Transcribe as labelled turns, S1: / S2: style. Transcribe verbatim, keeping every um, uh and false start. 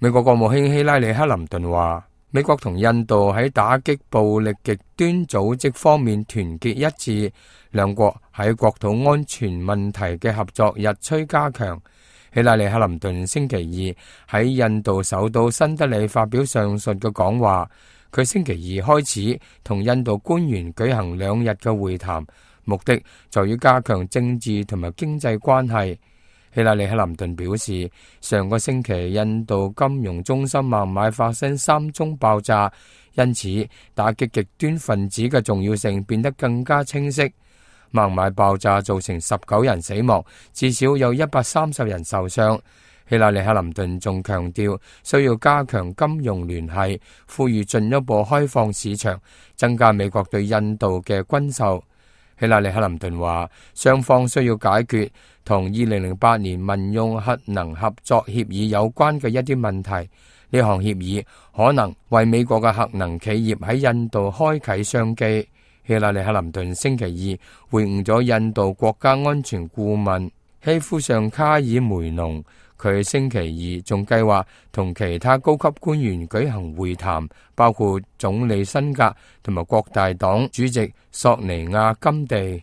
S1: 美國國務卿希拉里克林頓話，美國同印度喺打擊暴力極端組織方面團結一致，兩國喺國土安全問題嘅合作日趨加強。希拉里克林頓星期二喺印度首都新德里發表上述嘅講話，佢星期二開始同印度官員舉行兩日嘅會談，目的在於加強政治同埋經濟關係。希拉里克林頓表示，上個星期印度金融中心孟買發生三宗爆炸，因此打擊極端分子嘅重要性變得更加清晰。孟買爆炸造成十九人死亡，至少有一百三十人受傷。希拉里克林頓仲強調需要加強金融聯繫，呼籲進一步開放市場，增加美國對印度嘅軍售。希拉里克林頓話，雙方需要解決同二零零八年民用核能合作協議有關嘅一啲問題。呢項協議可能為美國嘅核能企業喺印度開啟商機。希拉里克林頓星期二會晤咗印度國家安全顧問希夫尚卡爾梅農，佢星期二仲計劃同其他高級官員舉行會談，包括總理辛格同埋國大黨主席索尼亞金地。